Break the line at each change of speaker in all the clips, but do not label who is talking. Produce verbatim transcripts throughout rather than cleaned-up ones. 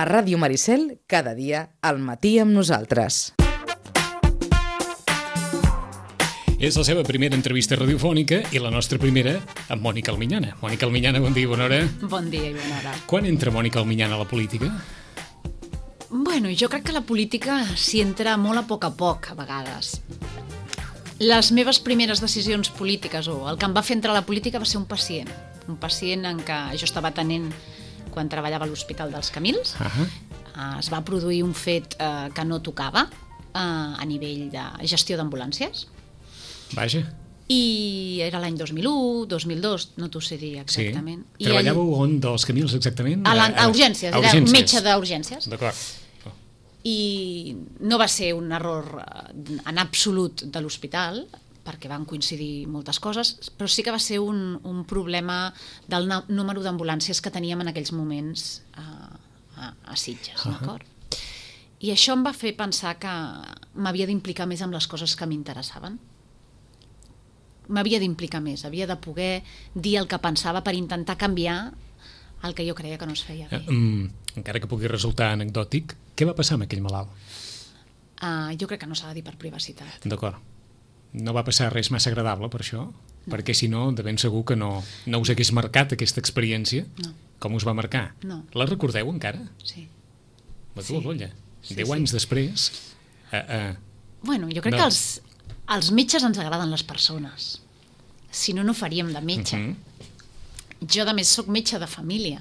A Ràdio Maricel, cada dia, al matí amb nosaltres.
És la seva primera entrevista radiofònica i la nostra primera amb Mònica Almiñana. Mònica Almiñana, bon dia i bona hora.
Bon dia i bona hora.
Quan entra Mònica Almiñana a la política?
Bueno, jo crec que la política s'hi entra molt a poc a poc, a vegades. Les meves primeres decisions polítiques, o el que em va fer entrar a la política, va ser un pacient. Un pacient en què jo estava atenent quan treballava a l'Hospital dels Camils. Uh-huh. Es va produir un fet eh, que no tocava eh, a nivell de gestió d'ambulàncies.
Vaja.
I era l'any dos mil u, dos mil dos, no t'ho sé dir exactament.
Sí. Treballàveu ell... on dels Camils exactament?
A, la, a urgències, a urgències, era metge d'urgències.
D'acord. Oh.
I no va ser un error en absolut de l'hospital, perquè van coincidir moltes coses, però sí que va ser un, un problema del número d'ambulàncies que teníem en aquells moments a, a, a Sitges, uh-huh. D'acord? I això em va fer pensar que m'havia d'implicar més amb les coses que m'interessaven. M'havia d'implicar més, havia de poder dir el que pensava per intentar canviar el que jo creia que no es feia bé.
Uh, um, encara que pugui resultar anecdòtic, què va passar amb aquell malalt?
Uh, jo crec que no s'ha de dir per privacitat.
D'acord. No va passar res massa agradable per això? No. Perquè si no, de ben segur que no, no us hagués marcat aquesta experiència.
No.
Com us va marcar?
No.
La recordeu encara?
Sí.
La teva
sí.
bolla.
Sí,
Deu
sí.
anys després... Uh, uh,
bueno, jo crec no. que els, els metges ens agraden les persones. Si no, no faríem de metge. Uh-huh. Jo, a més, soc metge de família.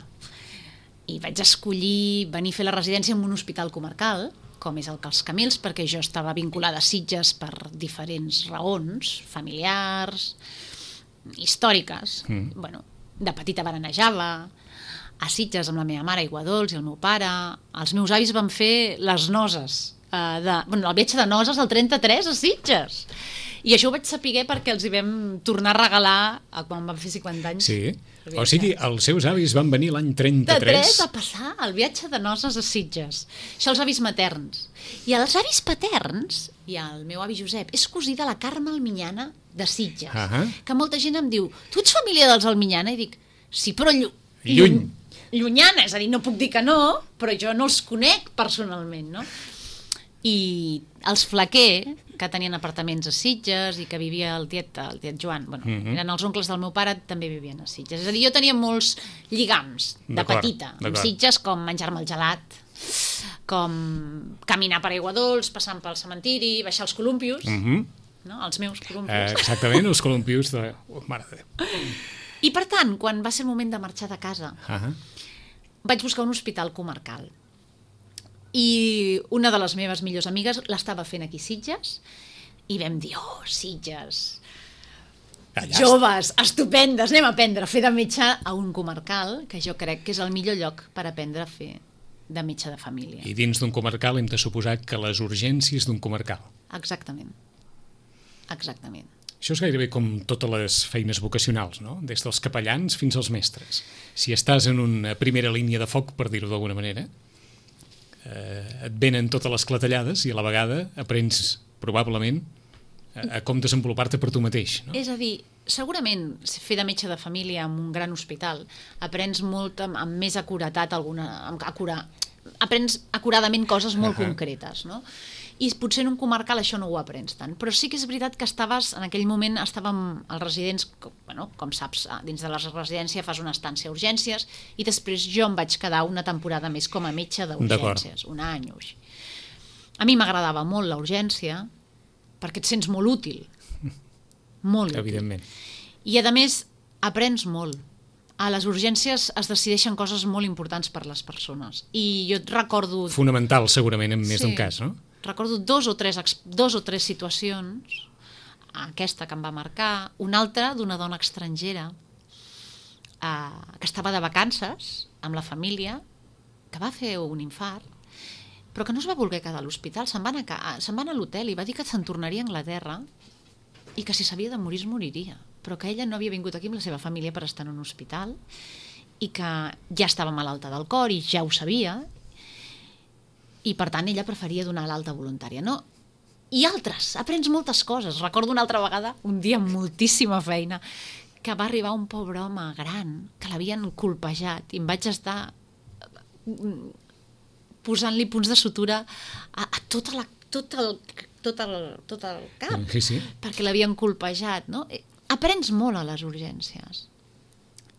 I vaig escollir venir a fer la residència en un hospital comarcal, com és el que els Camils, perquè jo estava vinculada a Sitges per diferents raons, familiars, històriques. Mm. Bueno, de petita baranejava, a Sitges amb la meva mare, Aigua Dols, i el meu pare. Els meus avis van fer les noces, uh, de, bueno, el viatge de noces al trenta-tres a Sitges. I això ho vaig saber perquè els hi vam tornar a regalar a quan vam fer cinquanta anys.
Sí, o sigui, els seus avis van venir l'any trenta-tres.
De a passar el viatge de noces a Sitges. Això els avis materns. I els avis paterns, i el meu avi Josep, és cosí de la Carme Almiñana de Sitges. Uh-huh. Que molta gent em diu, tu ets família dels Almiñana? I dic, sí, però llu
lluny.
Llunyana, és a dir, no puc dir que no, però jo no els conec personalment, no? I els Flaquer, que tenien apartaments a Sitges i que vivia el tiet, el tiet Joan, bueno, uh-huh. eren els oncles del meu pare, també vivien a Sitges. És a dir, jo tenia molts lligams de petita, amb Sitges, com menjar-me el gelat, com caminar per Aigua Dols, passant pel cementiri, baixar els columpios, uh-huh. no? Els meus columpios.
Eh, exactament, els columpios de... Oh, mare de Déu.
I per tant, quan va ser el moment de marxar de casa, uh-huh. vaig buscar un hospital comarcal. I una de les meves millors amigues l'estava fent aquí a Sitges i vam dir, oh, Sitges, allà joves, estupendes, anem a aprendre a fer de metge a un comarcal, que jo crec que és el millor lloc per aprendre a fer de metge de família.
I dins d'un comarcal hem de suposar que les urgències d'un comarcal.
Exactament. Exactament.
Això és gairebé com totes les feines vocacionals, no? Des dels capellans fins als mestres. Si estàs en una primera línia de foc, per dir-ho d'alguna manera, eh, et venen totes les clatellades i a la vegada aprens probablement a, a com desenvolupar-te per tu mateix, no?
És a dir, segurament fer de metge de família en un gran hospital aprens molt amb, amb més acuratat alguna, amb, acura, aprens acuradament coses molt uh-huh. concretes, no? I potser en un comarcal això no ho aprens tant, però sí que és veritat que estaves, en aquell moment estàvem als residents, com, bueno, com saps, dins de la residència fas una estància a urgències i després jo em vaig quedar una temporada més com a metge d'urgències, un any o així. A mi m'agradava molt la urgència perquè et sents molt útil, molt útil.
Evidentment.
I a més aprens molt. A les urgències es decideixen coses molt importants per les persones i jo et recordo...
Fonamental segurament en més sí. d'un cas, no?
Recordo dos o tres, dos o tres situacions, aquesta que em va marcar, una altra d'una dona estrangera eh, que estava de vacances amb la família, que va fer un infart, però que no es va voler quedar a l'hospital, se'n va, se'n va anar a l'hotel i va dir que se'n tornaria a Anglaterra i que si s'havia de morir es moriria, però que ella no havia vingut aquí amb la seva família per estar en un hospital i que ja estava malalta del cor i ja ho sabia, i per tant ella preferia donar l'alta voluntària, no? I altres, aprens moltes coses. Recordo una altra vegada, un dia amb moltíssima feina, que va arribar un pobre home gran que l'havien colpejat i em vaig estar posant-li punts de sutura a, a tota la, tot, el, tot, el, tot el cap,
sí, sí.
perquè l'havien colpejat, no? Aprens molt a les urgències.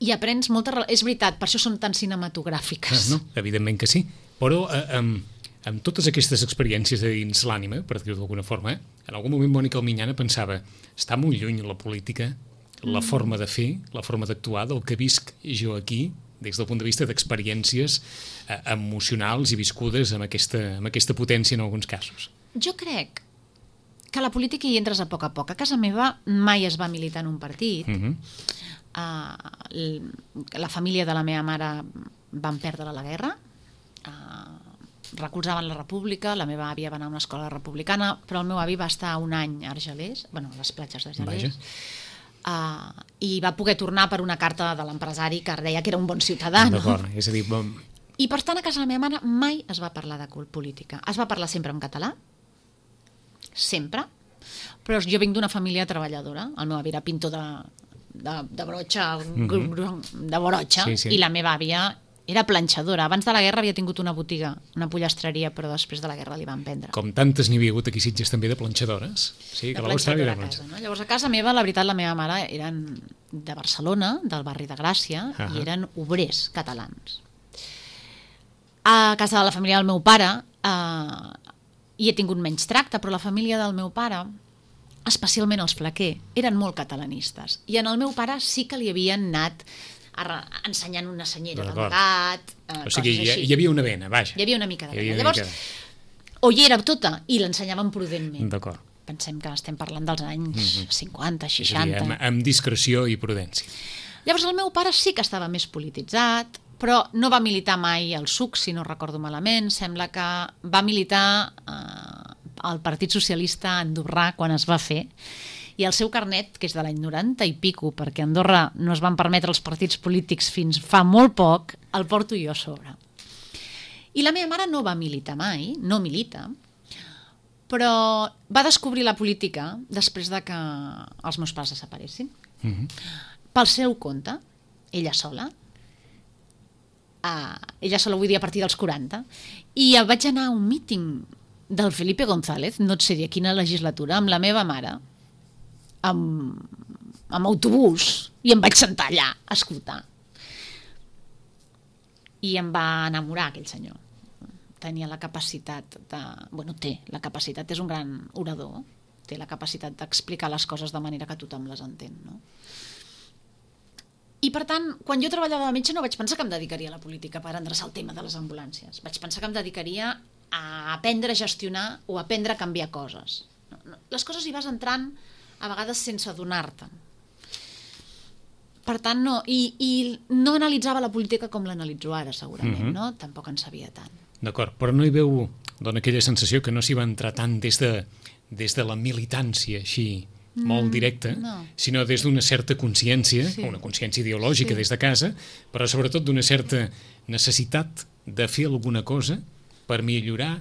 I aprens molta... És veritat, per això són tan cinematogràfiques.
Ah, no, evidentment que sí. Però eh, amb, amb totes aquestes experiències de dins l'ànima, per dir-ho d'alguna forma, eh, en algun moment Mònica Alminyana pensava està molt lluny la política, la mm. forma de fer, la forma d'actuar del que visc jo aquí, des del punt de vista d'experiències eh, emocionals i viscudes amb aquesta, amb aquesta potència en alguns casos.
Jo crec que a la política hi entres a poc a poc. A casa meva mai es va militar en un partit. Mm-hmm. Uh, la família de la meva mare van perdre la guerra, uh, recolzaven la república, la meva àvia va anar a una escola republicana, però el meu avi va estar un any a Argelers, bueno, a les platges d'Argelers, uh, i va poder tornar per una carta de l'empresari que deia que era un bon ciutadà. No?
D'acord, és a dir... Bon...
I per tant a casa de la meva mare mai es va parlar de política. Es va parlar sempre en català, sempre, però jo vinc d'una família treballadora. El meu avi era pintor de, de, de brotxa, mm-hmm. de brotxa, sí, sí. I la meva àvia era planxadora. Abans de la guerra havia tingut una botiga, una pollastre,ria, però després de la guerra li van prendre.
Com tantes n'hi havia hagut aquí a Sitges també de planxadores. Sí, que
de planxadora a casa, no? Llavors a casa meva, la veritat, la meva mare eren de Barcelona, del barri de Gràcia, uh-huh. i eren obrers catalans. A casa de la família del meu pare eh, hi he tingut menys tracte, però la família del meu pare, especialment els Flaquer, eren molt catalanistes. I en el meu pare sí que li havien anat ensenyant una senyera d'amagat, eh,
o sigui,
coses així.
Hi havia una vena, vaja.
Hi havia una mica de vena. Llavors, o hi era tota i l'ensenyaven prudentment.
D'acord.
Pensem que estem parlant dels anys mm-hmm. cinquanta, seixanta.
És a dir, amb, amb discreció i prudència.
Llavors el meu pare sí que estava més polititzat, però no va militar mai al S U C, si no recordo malament. Sembla que va militar eh, al Partit Socialista andorrà quan es va fer, i el seu carnet, que és de l'any noranta i pico, perquè a Andorra no es van permetre els partits polítics fins fa molt poc, el porto jo a sobre. I la meva mare no va militar mai, no milita, però va descobrir la política després de que els meus pares desaparessin. Mm-hmm. Pel seu compte, ella sola, uh, ella sola vull dir a partir dels quaranta, i vaig anar a un míting del Felipe González, no et sé dir a quina legislatura, amb la meva mare, amb, amb autobús, i em vaig sentar allà a escoltar. I em va enamorar aquell senyor. Tenia la capacitat de... Bueno, té la capacitat, és un gran orador, té la capacitat d'explicar les coses de manera que tothom les entén, no? I per tant, quan jo treballava de metge no vaig pensar que em dedicaria a la política per endreçar el tema de les ambulàncies. Vaig pensar que em dedicaria a aprendre a gestionar o a aprendre a canviar coses. Les coses hi vas entrant a vegades sense adonar-te. Per tant, no. I, i no analitzava la política com l'analitzo ara, segurament, mm-hmm. no? Tampoc en sabia tant.
D'acord, però no hi veu, dona aquella sensació que no s'hi va entrar tant des de, des de la militància, així, mm, molt directa, no. sinó des d'una certa consciència, sí. una consciència ideològica sí. des de casa, però sobretot d'una certa necessitat de fer alguna cosa per millorar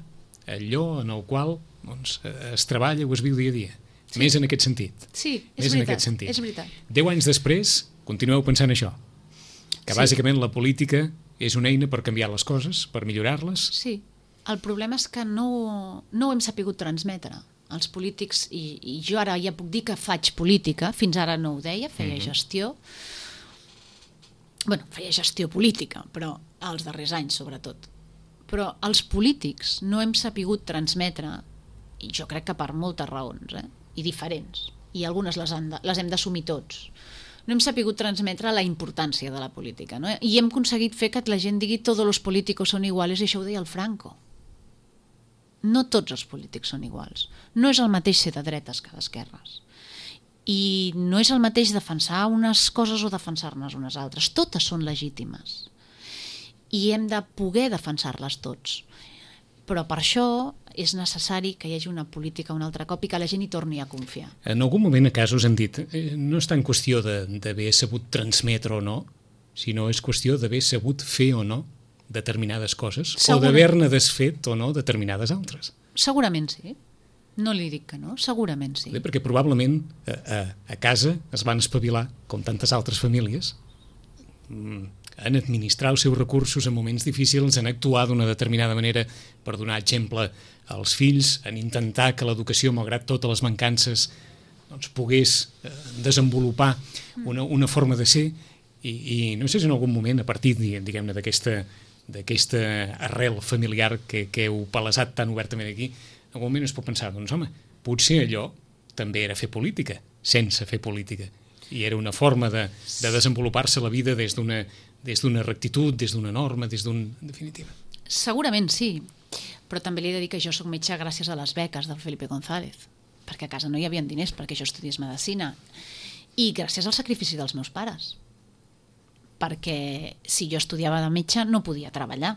allò en el qual doncs, es treballa o es viu dia a dia. Sí. Més en aquest sentit.
Sí, és
Més
veritat,
en aquest sentit.
és veritat.
Deu anys després, continueu pensant això, que sí. bàsicament la política és una eina per canviar les coses, per millorar-les.
Sí, el problema és que no, no ho hem sapigut transmetre. Els polítics, i, i jo ara ja puc dir que faig política, fins ara no ho deia, feia mm-hmm. gestió, bueno, feia gestió política, però els darrers anys sobretot. Però els polítics no hem sapigut transmetre, i jo crec que per moltes raons, eh, i diferents, i algunes les, han de, les hem d'assumir tots, no hem sapigut transmetre la importància de la política, no? I hem aconseguit fer que la gent digui «todos los políticos son iguales», i això ho deia el Franco. No tots els polítics són iguals. No és el mateix ser de dretes que d'esquerres. I no és el mateix defensar unes coses o defensar-ne unes altres. Totes són legítimes. I hem de poder defensar-les tots. Però per això és necessari que hi hagi una política un altre cop i que la gent hi torni a confiar.
En algun moment a casos han dit eh, no és tant qüestió d'haver sabut transmetre o no, sinó és qüestió d'haver sabut fer o no determinades coses, Segura... o d'haver-ne desfet o no determinades altres.
Segurament sí. No li dic que no, segurament sí.
Bé, perquè probablement a, a, a casa es van espavilar, com tantes altres famílies, en administrar els seus recursos en moments difícils, en actuar d'una determinada manera per donar exemple als fills, en intentar que l'educació, malgrat totes les mancances, doncs, pogués eh, desenvolupar una, una forma de ser i, i no sé si en algun moment, a partir, diguem-ne, d'aquesta d'aquesta arrel familiar que, que heu palesat tan obertament aquí, en algun moment es pot pensar, doncs home, potser allò també era fer política, sense fer política. I era una forma de, de desenvolupar-se la vida des d'una des d'una rectitud, des d'una norma, des d'un... en definitiva.
Segurament sí, però també li he de dir que jo soc metge gràcies a les beques del Felipe González, perquè a casa no hi havia diners perquè jo estudiés medicina, i gràcies al sacrifici dels meus pares, perquè si jo estudiava de metge no podia treballar.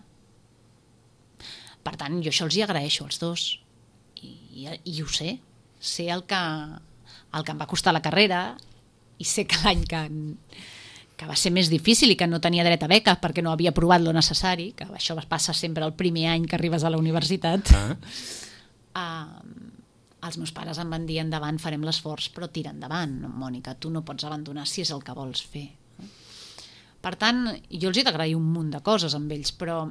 Per tant, jo això els hi agraeixo als dos, i, i, i ho sé, sé el que, el que em va costar la carrera, i sé que l'any que, que va ser més difícil i que no tenia dret a beca perquè no havia provat lo necessari, que això passa sempre el primer any que arribes a la universitat, ah. uh, els meus pares em van dir endavant, farem l'esforç, però tira endavant, Mònica, tu no pots abandonar si és el que vols fer. Per tant, jo els he d'agrair un munt de coses amb ells, però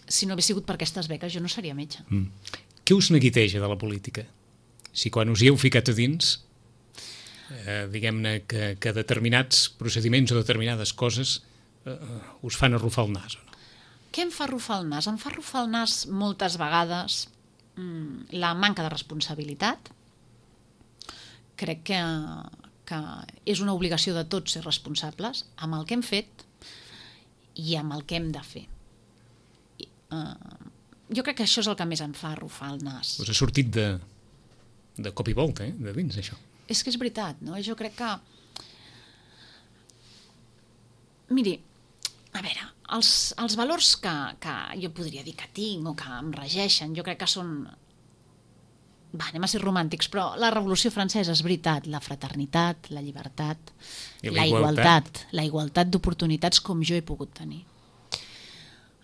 si no hagués sigut per aquestes beques jo no seria metge.
Mm. Què us neguiteja de la política? Si quan us hi heu ficat a dins, eh, diguem-ne que, que determinats procediments o determinades coses eh, us fan arrufar el nas o no?
Què em fa arrufar el nas? Em fa arrufar el nas moltes vegades mm, la manca de responsabilitat. Crec que, que és una obligació de tots ser responsables amb el que hem fet i amb el que hem de fer. Uh, jo crec que això és el que més em fa arrufar el nas.
Us ha sortit de, de cop i volta, eh? De dins, això.
És que és veritat, no? Jo crec que... Miri, a veure, els, els valors que, que jo podria dir que tinc o que em regeixen, jo crec que són... Va, anem a ser romàntics, però la Revolució Francesa és veritat, la fraternitat, la llibertat, la, la igualtat, igualtat la igualtat d'oportunitats com jo he pogut tenir.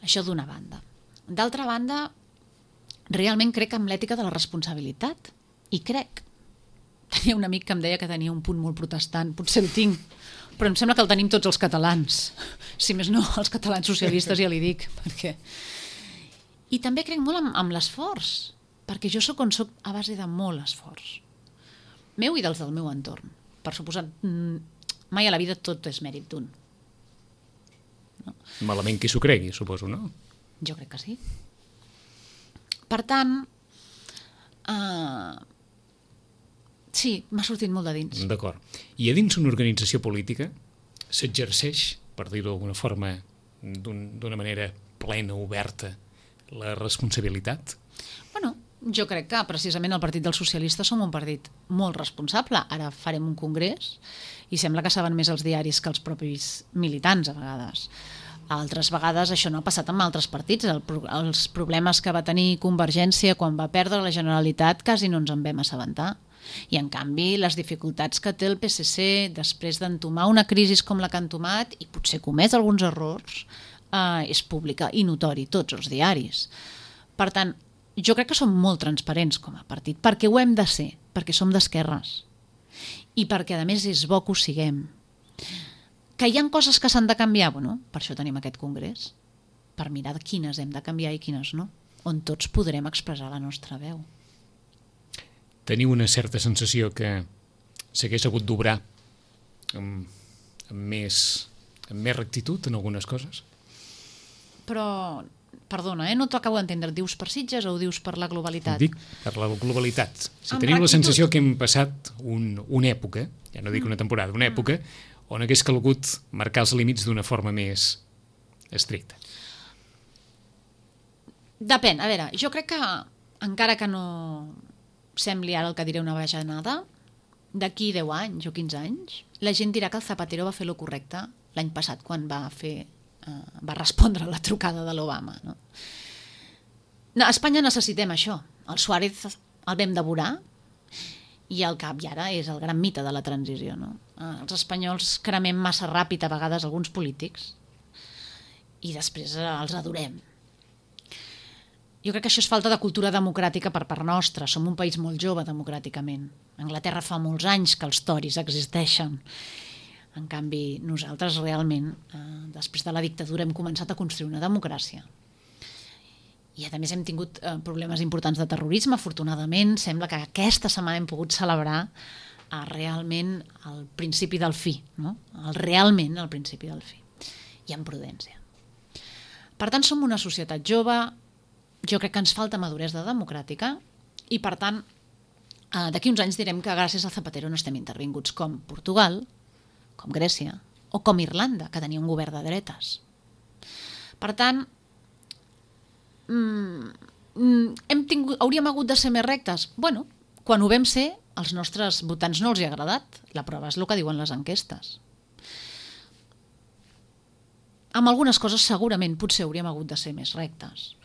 Això d'una banda. D'altra banda, realment crec en l'ètica de la responsabilitat i crec. Tenia un amic que em deia que tenia un punt molt protestant, potser el tinc, però em sembla que el tenim tots els catalans. Si més no, els catalans socialistes ja li dic. Perquè... I també crec molt en, en l'esforç, perquè jo sóc on sóc a base de molt esforç. Meu i dels del meu entorn. Per suposat, mai a la vida tot és mèrit d'un. No?
Malament qui s'ho cregui, suposo, no?
Jo crec que sí. Per tant, uh, sí, m'ha sortit molt de dins.
D'acord. I a dins una organització política s'exerceix, per dir-ho d'alguna forma, d'una manera plena, oberta, la responsabilitat?
Bueno, jo crec que precisament el Partit dels Socialistes som un partit molt responsable. Ara farem un congrés i sembla que saben més els diaris que els propis militants a vegades. Altres vegades això no ha passat amb altres partits. El, els problemes que va tenir Convergència quan va perdre la Generalitat quasi no ens en vam assabentar. I en canvi les dificultats que té el P S C després d'entomar una crisi com la que ha entomat i potser comès alguns errors eh, és pública i notori, tots els diaris. Per tant, jo crec que som molt transparents com a partit, perquè ho hem de ser, perquè som d'esquerres i perquè a més és bo que ho siguem. Que hi ha coses que s'han de canviar, bueno, per això tenim aquest congrés, per mirar quines hem de canviar i quines no, on tots podrem expressar la nostra veu.
Teniu una certa sensació que s'hagués hagut d'obrar amb, amb, més, amb més rectitud en algunes coses?
Però, perdona, eh, no t'ho acabo d'entendre, dius per Sitges o ho dius per la globalitat?
Dic per la globalitat. Si
amb
teniu
rectitud.
La sensació que hem passat un, una època, ja no dic una temporada, una època, on hagués calgut marcar els límits d'una forma més estricta.
Depèn, a veure, jo crec que encara que no sembli ara el que diré una bajanada, d'aquí deu anys o quinze anys, la gent dirà que el Zapatero va fer lo correcte l'any passat quan va fer eh, va respondre a la trucada de l'Obama. No? No, a Espanya necessitem això. El Suárez el vam devorar i el cap i ara és el gran mite de la transició. No? Els espanyols cremem massa ràpid a vegades alguns polítics i després els adorem. Jo crec que això és falta de cultura democràtica per part nostra. Som un país molt jove democràticament. Anglaterra fa molts anys que els tories existeixen. En canvi, nosaltres realment, eh, després de la dictadura, hem començat a construir una democràcia. I a més hem tingut eh, problemes importants de terrorisme, afortunadament. Sembla que aquesta setmana hem pogut celebrar eh, realment el principi del fi, no? El, realment el principi del fi. I amb prudència. Per tant, som una societat jove, jo crec que ens falta maduresa democràtica i, per tant, eh, d'aquí uns anys direm que gràcies a Zapatero no estem intervinguts com Portugal, com Grècia, o com Irlanda, que tenia un govern de dretes. Per tant, mm, hem tingut, hauríem hagut de ser més rectes? Bueno, quan ho vam ser, als nostres votants no els hi ha agradat. La prova és el que diuen les enquestes. Amb algunes coses segurament potser hauríem hagut de ser més rectes.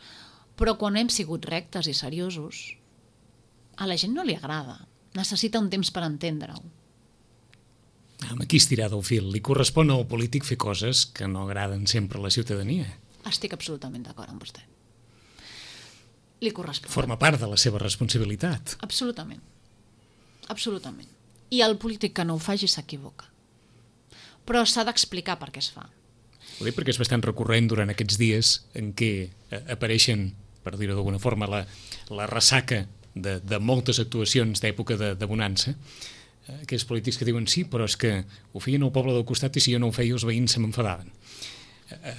Però quan hem sigut rectes i seriosos, a la gent no li agrada. Necessita un temps per entendre-ho.
Aquí estirar del fil. Li correspon al polític fer coses que no agraden sempre a la ciutadania.
Estic absolutament d'acord amb vostè. Li correspon.
Forma part de la seva responsabilitat.
Absolutament. Absolutament. I el polític que no ho faci s'equivoca. Però s'ha d'explicar per què es fa.
Ho dic perquè és bastant recurrent durant aquests dies en què apareixen, per dir-ho d'alguna forma, la, la ressaca de, de moltes actuacions d'època de, de bonança, aquells polítics que diuen sí, però és que ho feien al poble del costat i si jo no ho feia els veïns se m'enfadaven.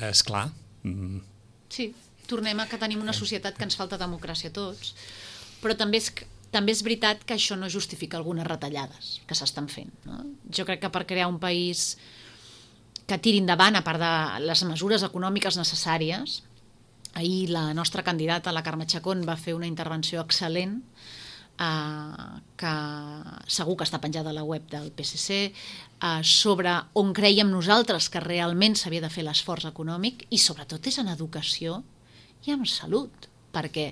Esclar. Mm.
Sí, tornem a que tenim una societat que ens falta democràcia a tots, però també és, també és veritat que això no justifica algunes retallades que s'estan fent. No? Jo crec que per crear un país que tiri endavant, a part de les mesures econòmiques necessàries, ahir la nostra candidata, la Carme Chacón, va fer una intervenció excel·lent, Uh, que segur que està penjada a la web del P S C, uh, sobre on creiem nosaltres que realment s'havia de fer l'esforç econòmic, i sobretot és en educació i en salut, perquè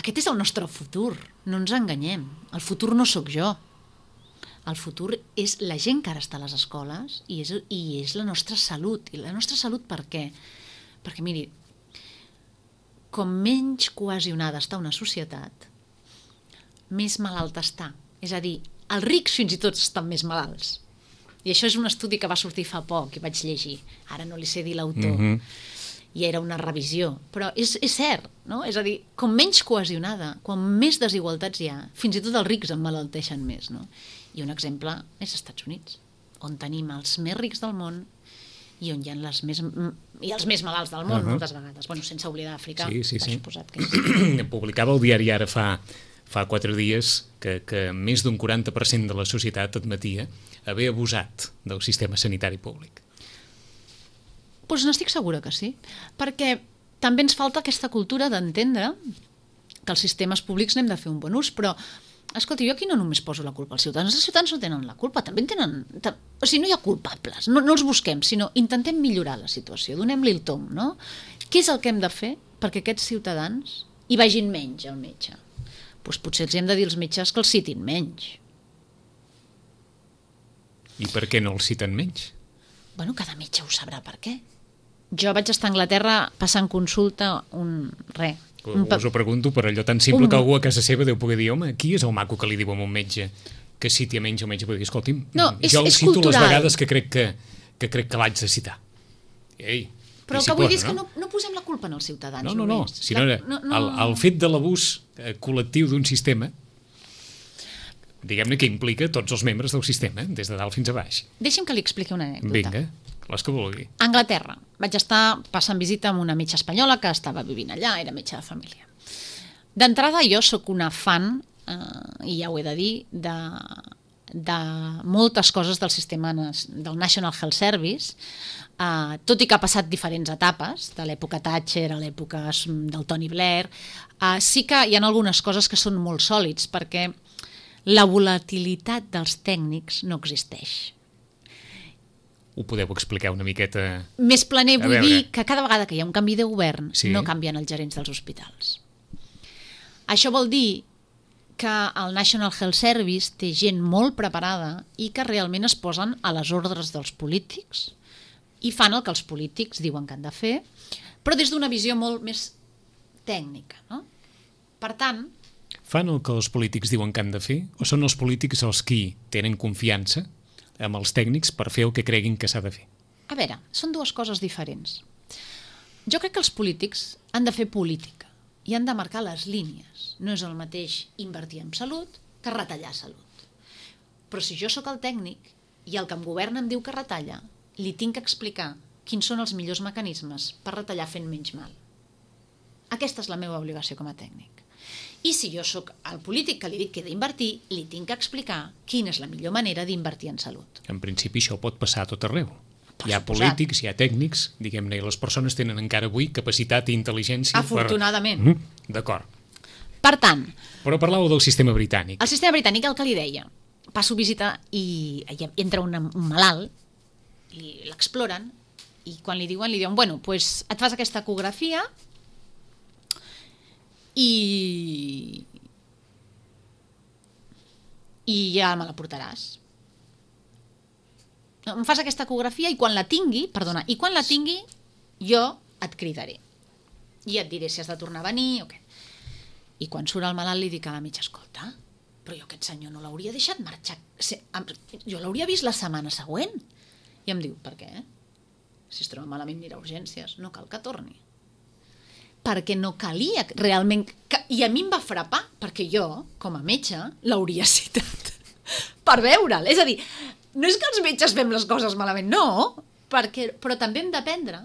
aquest és el nostre futur, no ens enganyem. El futur no sóc jo. El futur és la gent que ara està a les escoles i és, i és la nostra salut. I la nostra salut per què? Perquè, miri, com menys cohesionada està una societat, més malalta està. És a dir, els rics fins i tot estan més malalts. I això és un estudi que va sortir fa poc i vaig llegir. Ara no li sé dir l'autor. Mm-hmm. I era una revisió. Però és, és cert, no? És a dir, com menys cohesionada, quan més desigualtats hi ha, fins i tot els rics emmalalteixen més, no? I un exemple és als Estats Units, on tenim els més rics del món i on hi ha les més, i els més malalts del món, uh-huh. moltes vegades. Bueno, sense oblidar Àfrica,
sí, sí,
per
sí.
suposat que és.
Publicava el diari Ara fa... fa quatre dies que, que més d'un quaranta per cent de la societat admetia haver abusat del sistema sanitari públic.
Doncs n'estic segura que sí, perquè també ens falta aquesta cultura d'entendre que els sistemes públics n'hem de fer un bon ús, però, escolta, jo aquí no només poso la culpa als ciutadans, els ciutadans no tenen la culpa, també en tenen... O sigui, no hi ha culpables, no, no els busquem, sinó intentem millorar la situació, donem-li el tom, no? Què és el que hem de fer perquè aquests ciutadans hi vagin menys al metge? Doncs potser els hem de dir als metges que els citin menys.
I per què no els citen menys?
Bueno, cada metge ho sabrà per què. Jo vaig estar a Anglaterra passant consulta un... res. Un
Us ho pregunto per allò tan simple
un...
que algú a casa seva deu poder dir, home, qui és el maco que li diu a un metge que citi a menys el metge? Vull dir, escolti'm,
no, és,
jo el
és
cito
cultural.
Les vegades que crec que, que, crec que l'haig de citar. Ei,
però el que vull dir és que no, no posem la culpa en els ciutadans.
No, no, no.
Només.
Si no,
la, no, no.
El, el fet de l'abús col·lectiu d'un sistema, diguem-ne que implica tots els membres del sistema, des de dalt fins a baix.
Deixi'm que li expliqui una anècdota.
Vinga, les que vulgui.
A Anglaterra vaig estar passant visita amb una metge espanyola que estava vivint allà, era metge de família. D'entrada jo sóc una fan, eh, i ja ho he de dir, de, de moltes coses del sistema del National Health Service, Uh, tot i que ha passat diferents etapes, de l'època Thatcher a l'època del Tony Blair, uh, sí que hi ha algunes coses que són molt sòlids, perquè la volatilitat dels tècnics no existeix.
Ho podeu explicar una miqueta?
Més planer vull dir que cada vegada que hi ha un canvi de govern
sí.
no canvien els gerents dels hospitals. Això vol dir que el National Health Service té gent molt preparada i que realment es posen a les ordres dels polítics i fan el que els polítics diuen que han de fer, però des d'una visió molt més tècnica, no? Per tant...
Fan el que els polítics diuen que han de fer o són els polítics els qui tenen confiança amb els tècnics per fer el que creguin que s'ha de fer.
A veure, són dues coses diferents. Jo crec que els polítics han de fer política i han de marcar les línies. No és el mateix invertir en salut que retallar salut. Però si jo sóc el tècnic i el que em governa em diu que retalla, li tinc que explicar quins són els millors mecanismes per retallar fent menys mal. Aquesta és la meva obligació com a tècnic. I si jo sóc el polític que li dic que he d'invertir, li tinc que explicar quina és la millor manera d'invertir en salut.
En principi això pot passar a tot arreu.
Per
Hi ha
suposat.
polítics, hi ha tècnics, diguem-ne, i les persones tenen encara avui capacitat i intel·ligència.
Afortunadament.
Per... Mm, d'acord.
Per tant,
Però parlàveu del sistema britànic.
el sistema britànic, el que li deia, passo visita i, i entra un, un malalt, i l'exploren, i quan li diuen, li diuen, bueno, pues et fas aquesta ecografia i i ja me la portaràs. No, em fas aquesta ecografia i quan la tingui, perdona, i quan la tingui jo et cridaré i et diré si has de tornar a venir o què. I quan surt el malalt li dic a la mitja, escolta, però jo aquest senyor no l'hauria deixat marxar, jo l'hauria vist la setmana següent. I em diu, per què? Si es troba malament anirà a urgències, no cal que torni. Perquè no calia realment... I a mi em va frapar, perquè jo, com a metge, l'hauria citat per veure'l. És a dir, no és que els metges fem les coses malament, no, perquè, però també hem d'aprendre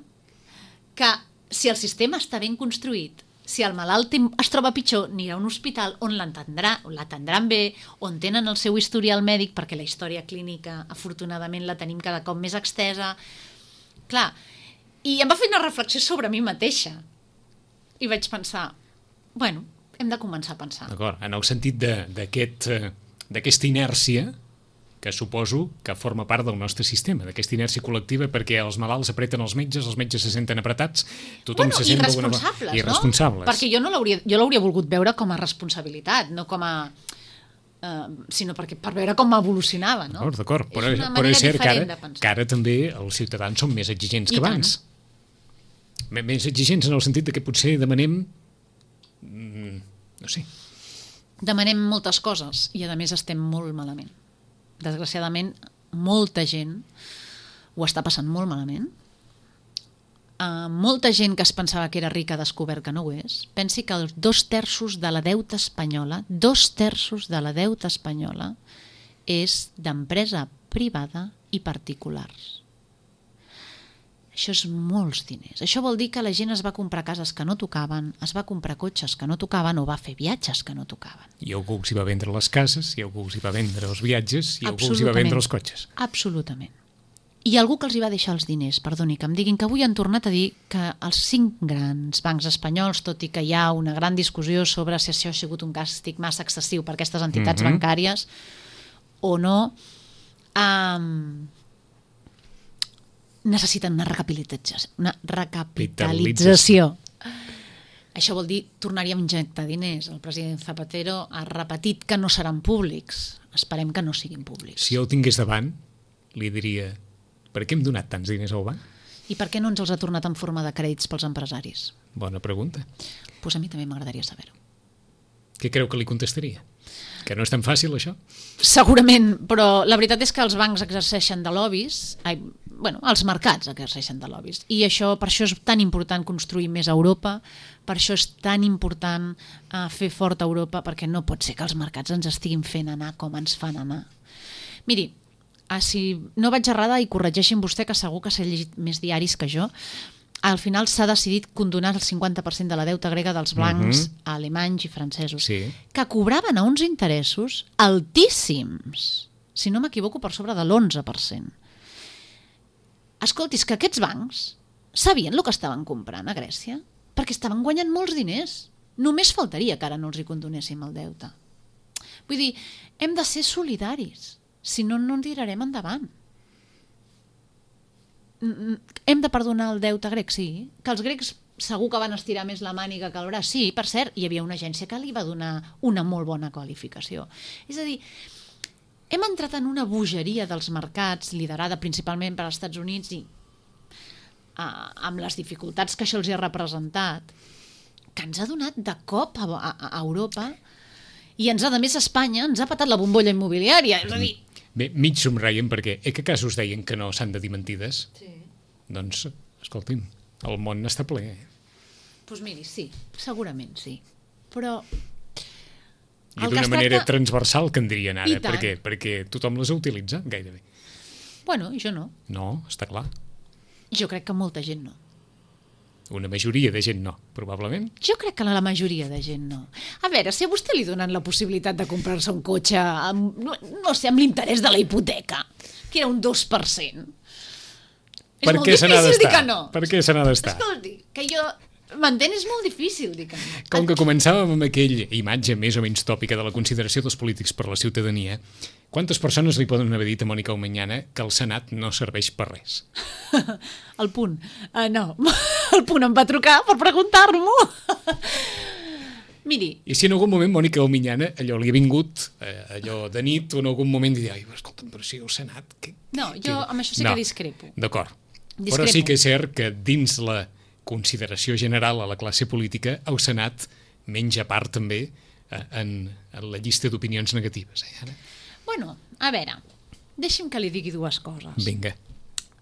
que si el sistema està ben construït, si el malalt es troba pitjor, anirà a un hospital on l'atendrà, l'atendran bé, on tenen el seu historial mèdic, perquè la història clínica, afortunadament, la tenim cada cop més extesa. Clar, i em va fer una reflexió sobre mi mateixa. I vaig pensar, bueno, hem de començar a pensar.
D'acord, en el sentit d'aquesta aquest, inèrcia que suposo que forma part del nostre sistema, d'aquesta inèrcia col·lectiva, perquè els malalts apreten els metges, els metges se senten apretats, tothom
bueno,
se sent d'alguna
irresponsables,
I irresponsables,
no? Perquè jo no l'hauria jo l'hauria volgut veure com a responsabilitat, no com a... Uh, sinó perquè per veure com evolucionava, no?
D'acord, d'acord, però
és,
és,
una
però és cert que
diferent
ara,
de pensar.
que ara també els ciutadans són més exigents
I
que abans. Tant. Més exigents en el sentit de que potser demanem... Mm, no sé.
Demanem moltes coses i a més estem molt malament. Desgraciadament, molta gent ho està passant molt malament. Uh, molta gent que es pensava que era rica ha descobert que no ho és. Pensi que els dos terços de la deuta espanyola, dos terços de la deuta espanyola és d'empresa privada i particulars. Això és molts diners. Això vol dir que la gent es va comprar cases que no tocaven, es va comprar cotxes que no tocaven o va fer viatges que no tocaven.
I algú els hi va vendre les cases, i algú els hi va vendre els viatges, i algú els hi va vendre els cotxes.
Absolutament. I algú que els hi va deixar els diners, perdoni, que em diguin que avui han tornat a dir que els cinc grans bancs espanyols, tot i que hi ha una gran discussió sobre si això ha sigut un càstig massa excessiu per aquestes entitats mm-hmm. bancàries o no, um, necessiten una recapitalització. Una recapitalització. Això vol dir tornar-hi a injectar diners. El president Zapatero ha repetit que no seran públics. Esperem que no siguin públics.
Si jo el tingués davant, li diria... Per què hem donat tants diners al banc?
I per què no ens els ha tornat en forma de crèdits pels empresaris?
Bona pregunta.
Pues a mi també m'agradaria saber-ho.
Què creu que li contestaria? Que no és tan fàcil, això?
Segurament, però la veritat és que els bancs exerceixen de lobbies, ai, bueno, els mercats exerceixen de lobbies, i això, per això és tan important construir més a Europa, per això és tan important uh, fer fort a Europa, perquè no pot ser que els mercats ens estiguin fent anar com ens fan anar. Miri, Ah, si no vaig errada, i corregeixin vostè, que segur que s'ha llegit més diaris que jo, al final s'ha decidit condonar el cinquanta per cent de la deuta grega dels blancs mm-hmm. alemanys i francesos,
sí.
que cobraven a uns interessos altíssims, si no m'equivoco per sobre de l'onze per cent. Escolti, és que aquests bancs sabien el que estaven comprant a Grècia, perquè estaven guanyant molts diners. Només faltaria que ara no els hi condonéssim el deute. Vull dir, hem de ser solidaris. Si no, no en tirarem endavant. Hem de perdonar el deute grec, sí. Que els grecs segur que van estirar més la màniga que el braç. Sí, per cert, hi havia una agència que li va donar una molt bona qualificació. És a dir, hem entrat en una bogeria dels mercats, liderada principalment per als Estats Units, i uh, amb les dificultats que això els ha representat, que ens ha donat de cop a, a, a Europa, i ens ha, a més, Espanya ens ha patat la bombolla immobiliària. És a dir,
Bé, mig somreien perquè, eh, que casos deien que no s'han de dir mentides?
Sí.
Doncs, escolti'm, el món està ple.
Doncs pues miri, sí, segurament sí. Però...
I d'una manera tracta... transversal, que en dirien ara, perquè, perquè tothom les ha utilitzat gairebé.
Bueno, jo no.
No, està clar.
Jo crec que molta gent no.
Una majoria de gent no, probablement.
Jo crec que la majoria de gent no. A veure, si a vostè li donen la possibilitat de comprar-se un cotxe amb, no, no sé, amb l'interès de la hipoteca, que era un dos per cent, és
per
molt
què
difícil dir que no.
Per què se n'ha d'estar?
Escolti, que jo m'entén, és molt difícil dir que no.
Com que començàvem amb aquella imatge més o menys tòpica de la consideració dels polítics per la ciutadania, quantes persones li poden haver dit a Mònica Omenyana que el Senat no serveix per res?
El Punt. Uh, no, el Punt em va trucar per preguntar-m'ho. Miri...
I si en algun moment Mònica Omenyana allò li ha vingut, eh, allò de nit, o en algun moment diria, ai, escolta'm, però si el Senat... Que,
no, jo
que...
amb això sí
no.
que discrepo.
D'acord.
Discrepo.
Però sí que és cert que dins la consideració general a la classe política, el Senat menja part també eh, en, en la llista d'opinions negatives. Eh, ara?
Bueno, a veure, deixi'm que li digui dues coses.
Vinga.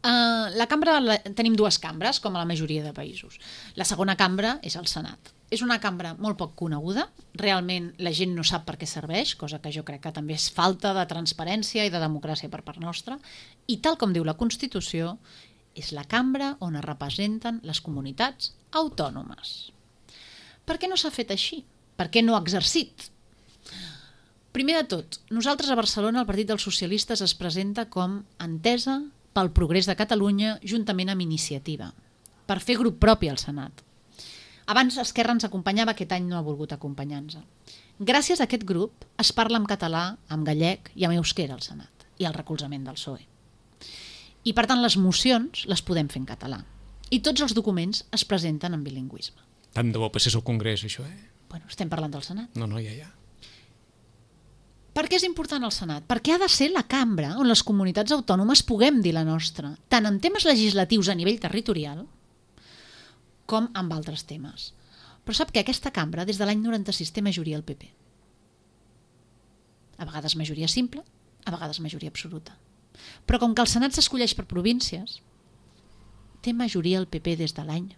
Uh, la cambra, la, tenim dues cambres, com a la majoria de països. La segona cambra és el Senat. És una cambra molt poc coneguda, realment la gent no sap per què serveix, cosa que jo crec que també és falta de transparència i de democràcia per part nostra, i tal com diu la Constitució, és la cambra on es representen les comunitats autònomes. Per què no s'ha fet així? Per què no ha exercit? Primer de tot, nosaltres a Barcelona el Partit dels Socialistes es presenta com Entesa pel Progrés de Catalunya juntament amb Iniciativa, per fer grup propi al Senat. Abans Esquerra ens acompanyava, aquest any no ha volgut acompanyar-nos. Gràcies a aquest grup es parla en català, en gallec i en euskera al Senat, i el recolzament del P S O E. I per tant les mocions les podem fer en català. I tots els documents es presenten en bilingüisme.
Tant de bo passés al Congrés, això, eh?
Bueno, estem parlant del Senat.
No, no, ja, ja.
Per què és important el Senat? Perquè ha de ser la cambra on les comunitats autònomes puguem dir la nostra, tant en temes legislatius a nivell territorial com en altres temes. Però sap que aquesta cambra, des de l'any noranta-sis, té majoria al P P. A vegades majoria simple, a vegades majoria absoluta. Però com que el Senat s'escolleix per províncies, té majoria al P P des de l'any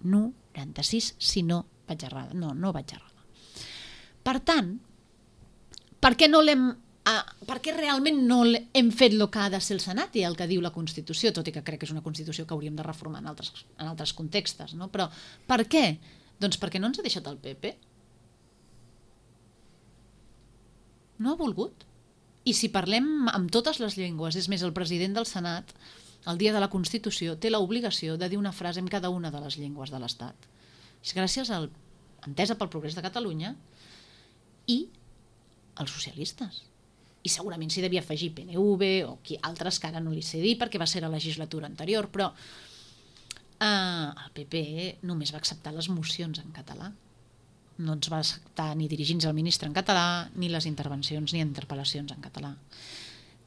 noranta-sis, si no vaig errada. No, no vaig errada. Per tant, per què, no l'hem, uh, per què realment no hem fet el que ha de ser el Senat i el que diu la Constitució, tot i que crec que és una Constitució que hauríem de reformar en altres, en altres contextes, no? Però per què? Doncs perquè no ens ha deixat el P P. No ha volgut. I si parlem amb totes les llengües, és més, el president del Senat, el dia de la Constitució, té l'obligació de dir una frase en cada una de les llengües de l'Estat. És gràcies a Entesa pel Progrés de Catalunya i els socialistes. I segurament s'hi devia afegir P N V o qui, altres que ara no li sé dir perquè va ser la legislatura anterior, però eh, el P P només va acceptar les mocions en català. No ens va acceptar ni dirigir-nos al ministre en català, ni les intervencions ni interpel·lacions en català.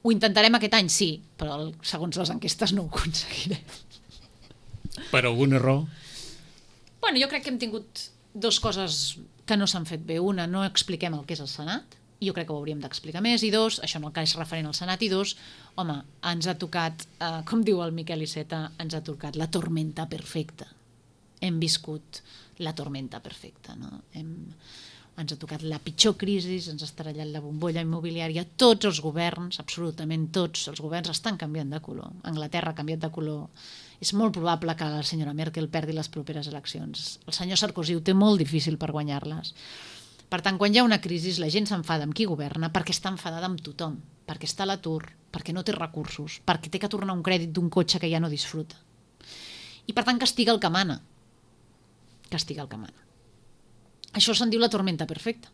Ho intentarem aquest any, sí, però segons les enquestes no ho aconseguirem.
Per algun error?
Bueno, jo crec que hem tingut dues coses que no s'han fet bé. Una, no expliquem el que és el Senat, i jo crec que ho hauríem d'explicar més, i dos, això en el cas referent al Senat, i dos, home, ens ha tocat, eh, com diu el Miquel Iceta, ens ha tocat la tormenta perfecta. Hem viscut la tormenta perfecta, no? Hem, ens ha tocat la pitjor crisi, ens ha estrellat la bombolla immobiliària, tots els governs, absolutament tots els governs estan canviant de color. Anglaterra ha canviat de color. És molt probable que la senyora Merkel perdi les properes eleccions. El senyor Sarkozy ho té molt difícil per guanyar-les. Per tant, quan hi ha una crisi, la gent s'enfada amb qui governa perquè està enfadada amb tothom, perquè està a l'atur, perquè no té recursos, perquè té que tornar un crèdit d'un cotxe que ja no disfruta. I per tant castiga el que mana. Castiga el que mana. Això se'n diu la tormenta perfecta.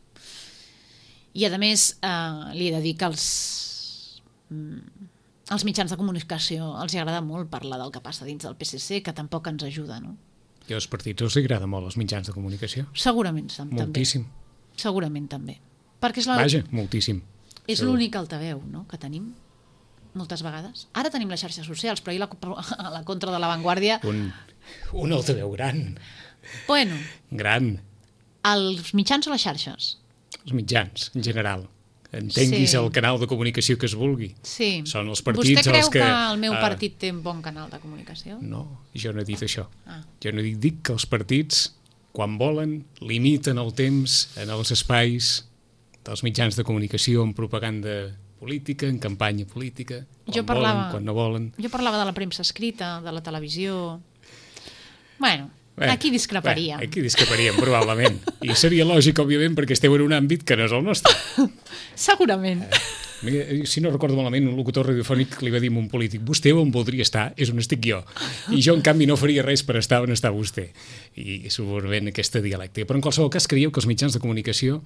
I a més, eh, li he de dir que els, mm, els mitjans de comunicació els agrada molt parlar del que passa dins del P S C, que tampoc ens ajuda, no?
I als partits els agrada molt els mitjans de comunicació?
Segurament també.
Moltíssim.
Segurament també. Perquè és la...
Vaja, moltíssim.
És l'únic altaveu, no?, que tenim moltes vegades. Ara tenim les xarxes socials, però ahir la, a la contra de l'avantguàrdia...
Un, un altaveu gran.
Bueno.
Gran.
Els mitjans o les xarxes?
Els mitjans, en general. entenguis
Sí.
el canal de comunicació que es vulgui.
Sí.
Són els partits
Vostè creu
els que...
que el meu
ah,
partit té un bon canal de comunicació?
No, jo no he dit això.
Ah.
Jo no dic, dic que els partits, quan volen, limiten el temps en els espais dels mitjans de comunicació en propaganda política, en campanya política, quan
Jo parlava-
volen, quan no volen.
Jo parlava de la premsa escrita, de la televisió... Bueno,
Bé,
aquí discreparíem.
Bé, aquí discreparíem, probablement. I seria lògic, òbviament, perquè esteu en un àmbit que no és el nostre.
Segurament.
Mira, si no recordo malament, un locutor radiofònic li va dir a un polític: vostè on voldria estar és on estic jo. I jo, en canvi, no faria res per estar on està vostè. I segurament aquesta dialèctica. Però en qualsevol cas, creieu que els mitjans de comunicació,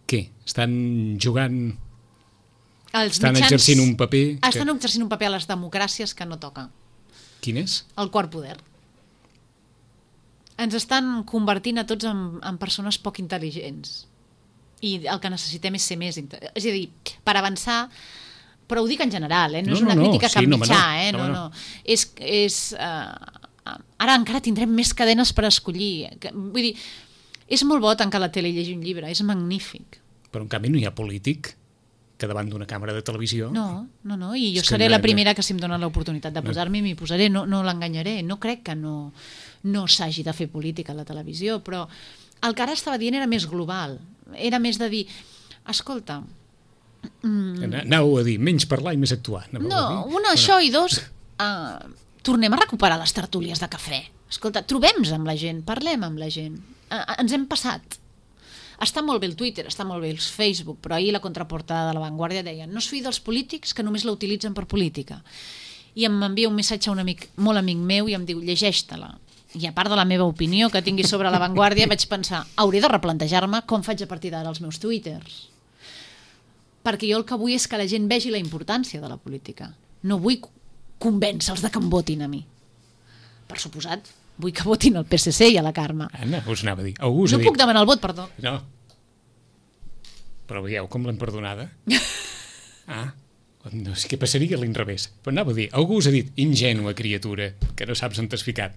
què? Estan jugant...
Els
Estan
mitjans
exercint un paper que-
Estan exercint un paper a les democràcies que no toca.
Quin és?
El quart poder. Ens estan convertint a tots en, en persones poc intel·ligents. I el que necessitem és ser més... inte- És a dir, per avançar... Però ho dic en general, eh? no,
No,
és una
no, no,
crítica a
sí,
cap
no, home,
mitjà.
no.
Eh?
No,
No,
no.
no. És... és uh, ara encara tindrem més cadenes per escollir. Que- Vull dir, és molt bo tancar la tele i llegir un llibre, és magnífic.
Però en canvi no hi ha polític que davant d'una càmera de televisió...
No, no, no, i jo
És que
seré
no-
la primera que si em dona l'oportunitat de posar-m'hi m'hi posaré, no, no l'enganyaré, no crec que no, no s'hagi de fer política a la televisió, però el que ara estava dient era més global, era més de dir, escolta,
Mm. Anau a dir, menys parlar i més actuar. Anàveu a
no,
dir?
una, això, i dos, uh, tornem a recuperar les tertúlies de cafè. Escolta, trobem-nos amb la gent, parlem amb la gent. Uh, ens hem passat. Està molt bé el Twitter, està molt bé el Facebook, però ahir la contraportada de La Vanguardia deia: no es fii dels polítics que només la utilitzen per política. I em envia un missatge a un amic, molt amic meu, i em diu: llegeix-te-la. I a part de la meva opinió que tingui sobre La Vanguardia, vaig pensar, hauré de replantejar-me com faig a partir d'ara els meus twitters. Perquè jo el que vull és que la gent vegi la importància de la política. No vull convèncer-los de que em votin a mi. Per suposat, vull que votin al P S C i a la Carme.
Anna, us anava a dir. Algú us
No
ha dit...
puc demanar el vot, perdó.
No. Però veieu com l'hem perdonada? Ah, no sé què passaria a l'inrevés. Però anava a dir, algú us ha dit, ingènua criatura, que no saps on t'has ficat.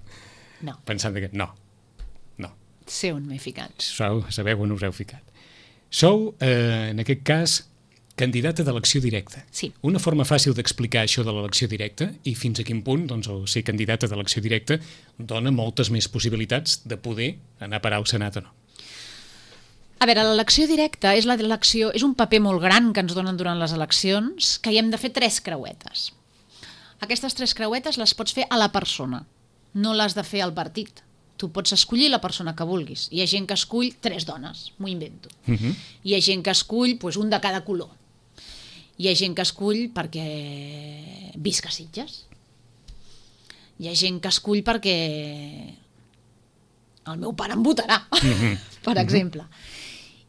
No,
Pensant que no, no.
sé on m'he ficat.
Sou, sabeu on us heu ficat. Sou, eh, en aquest cas, candidata d'elecció directa.
Sí.
Una forma fàcil d'explicar això de l'elecció directa i fins a quin punt doncs, el ser candidata d'elecció directa dona moltes més possibilitats de poder anar a parar al Senat o no.
A veure, l'elecció directa és, l'elecció, és un paper molt gran que ens donen durant les eleccions, que hi hem de fer tres creuetes. Aquestes tres creuetes les pots fer a la persona, no les de fer al partit. Tu pots escollir la persona que vulguis. Hi ha gent que escull tres dones, m'ho invento.
Uh -huh.
Hi ha gent que escull doncs, un de cada color. Hi ha gent que escull perquè visca a Sitges. Hi ha gent que escull perquè el meu pare em votarà,
Mhm.
per exemple.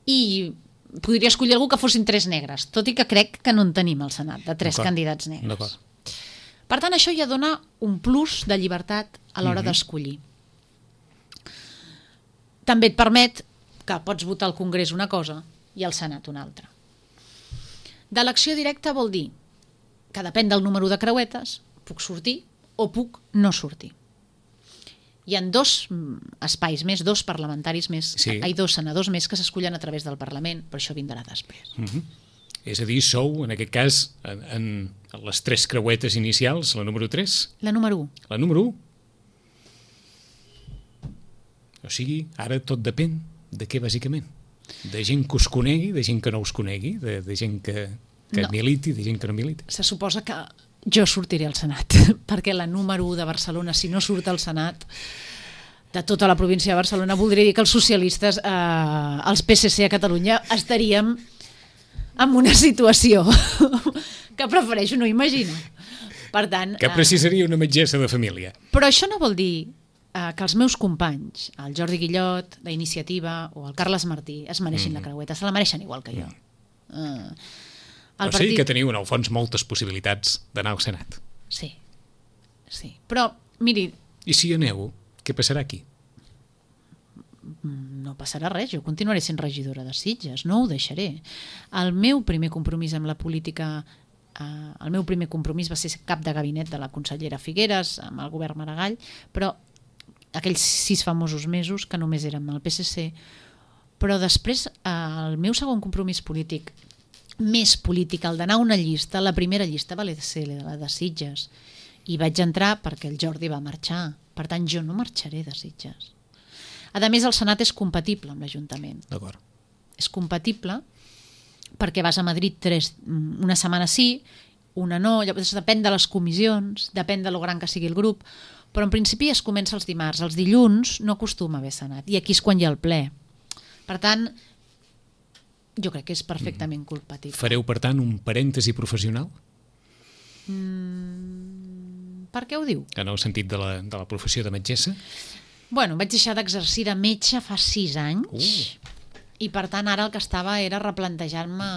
I podria escollir algú que fossin tres negres, tot i que crec que no en tenim al Senat, de tres
D'acord.
candidats negres.
D'acord.
Per tant, això ja dona un plus de llibertat a l'hora
Mhm.
d'escollir. També et permet que pots votar al Congrés una cosa i al Senat una altra. D'elecció directa vol dir que depèn del número de creuetes, puc sortir o puc no sortir. Hi ha dos mm, espais més, dos parlamentaris més,
Sí.
hi ha dos senadors més que s'escullen a través del Parlament, però això vindrà després.
Uh -huh. És a dir, sou, en aquest cas, en, en les tres creuetes inicials, la número tres,
La número u.
la número u. O sigui, ara tot depèn de què, bàsicament? De gent que us conegui, de gent que no us conegui, de, de gent que, que
No.
militi, de gent que no militi.
Se suposa que jo sortiré al Senat, perquè la número u de Barcelona, si no surt al Senat, de tota la província de Barcelona, voldria dir que els socialistes, eh, els P S C a Catalunya, estaríem en una situació que prefereixo no imaginar. Per tant,
Que
eh,
precisaria una metgessa de família.
però això no vol dir eh, que els meus companys, el Jordi Guillot, d'Iniciativa, o el Carles Martí, es mereixin mm. la creueta, se la mereixen igual que jo. Mm. Eh,
O sigui que teniu, en el fons, moltes possibilitats d'anar al Senat.
Sí, sí. Però, miri,
I si aneu, què passarà aquí?
no passarà res, jo continuaré sent regidora de Sitges, no ho deixaré. El meu primer compromís amb la política, eh, el meu primer compromís va ser cap de gabinet de la consellera Figueres, amb el govern Maragall, però aquells sis famosos mesos, que només érem el P S C, però després eh, el meu segon compromís polític, més política, el d'anar a una llista, la primera llista va ser la de Sitges. I vaig entrar perquè el Jordi va marxar. Per tant, jo no marxaré de Sitges. A més, el Senat és compatible amb l'Ajuntament.
D'acord.
És compatible perquè vas a Madrid tres, una setmana sí, una no, llavors depèn de les comissions, depèn de lo gran que sigui el grup, però en principi es comença els dimarts. Els dilluns no acostuma a haver Senat, i aquí és quan hi ha el ple. Per tant, jo crec que és perfectament compatible.
Fareu, per tant, un parèntesi professional?
Mm, per què ho diu?
En el sentit de la, de la professió de metgessa?
Bueno, vaig deixar d'exercir de metge fa sis anys, uh. i per tant ara el que estava era replantejar-me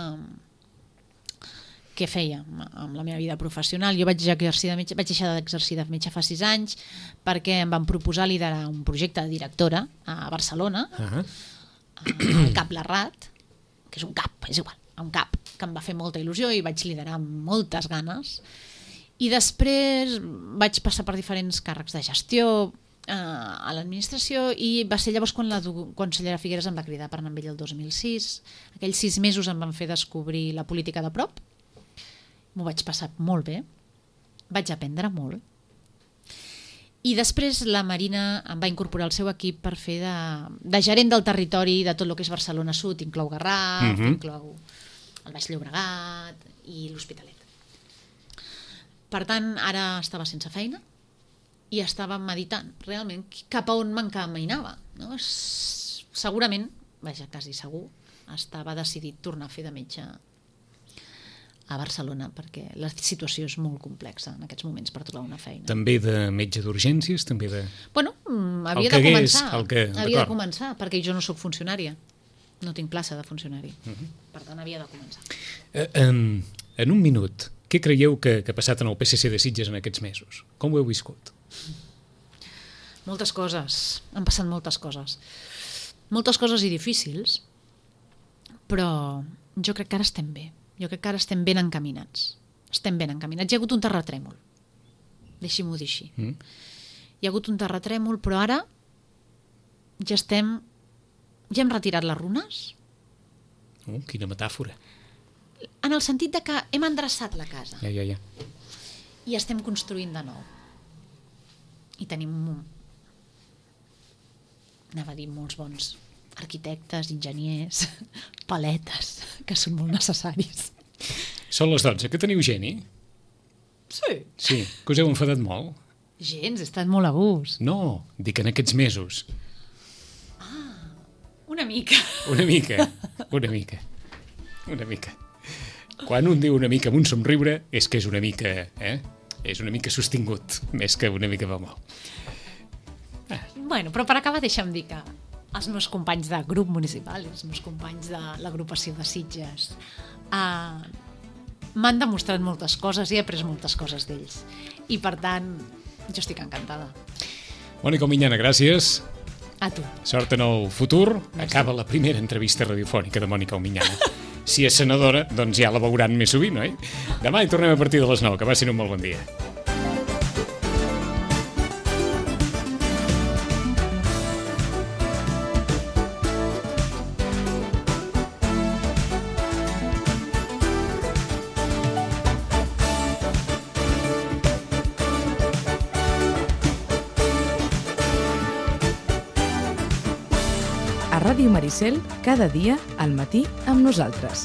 què feia amb la meva vida professional. Jo vaig exercir de metge, vaig deixar d'exercir de metge fa sis anys perquè em van proposar liderar un projecte de directora a Barcelona, uh-huh. al CAP Larrat, que és un CAP, és igual, un CAP que em va fer molta il·lusió i vaig liderar amb moltes ganes. I després vaig passar per diferents càrrecs de gestió a l'administració i va ser llavors quan la consellera Figueres em va cridar per anar amb ell el dos mil sis. Aquells sis mesos em van fer descobrir la política de prop. M'ho vaig passar molt bé, vaig aprendre molt. I després la Marina em va incorporar al seu equip per fer de, de gerent del territori de tot el que és Barcelona Sud, inclou Garraf, uh-huh. inclou el Baix Llobregat i l'Hospitalet. Per tant, ara estava sense feina i estava meditant realment cap a on m'encaminava. No? Segurament, vaja, quasi segur, estava decidit tornar a fer de metge a Barcelona, perquè la situació és molt complexa en aquests moments per trobar una feina.
També de metge d'urgències? També de...
Bueno, havia de començar. El que... Havia de començar, perquè jo no sóc funcionària. No tinc plaça de funcionari. Uh-huh. Per tant, havia de començar.
Uh, en, en un minut, què creieu que, que ha passat en el P S C de Sitges en aquests mesos? Com ho heu viscut?
Moltes coses. Han passat moltes coses. Moltes coses i difícils, però jo crec que ara estem bé. Jo crec que ara estem ben encaminats. Estem ben encaminats. Hi ha hagut un terratrèmol. Deixi-m'ho dir així. Mm. Hi ha hagut un terratrèmol, però ara ja estem... Ja hem retirat les runes.
Oh, quina metàfora.
En el sentit de que hem endreçat la casa.
Ja, ja, ja.
I estem construint de nou. I tenim, anava a dir, molts bons arquitectes, enginyers, paletes, que són molt necessaris.
Són les dotze, que teniu geni?
Sí.
Sí, que us heu enfadat molt?
Gens, he estat molt a gust.
No, dic en aquests mesos.
Ah, una mica.
Una mica, una mica, una mica. Quan un diu una mica amb un somriure és que és una mica, eh? És una mica sostingut, més que una mica va molt.
Ah. Bueno, però per acabar deixa'm dir que els meus companys de grup municipal, els meus companys de l'agrupació de Sitges, uh, m'han demostrat moltes coses i he après moltes coses d'ells. I per tant, jo estic encantada.
Mònica Miñana, gràcies.
A tu.
Sort en el futur.
Merci.
Acaba la primera entrevista radiofònica de Mònica Miñana. Si és senadora, doncs ja la veuran més sovint, oi? Demà hi tornem a partir de les nou. Que passin un molt bon dia.
A Ràdio Maricel, cada dia al matí amb nosaltres.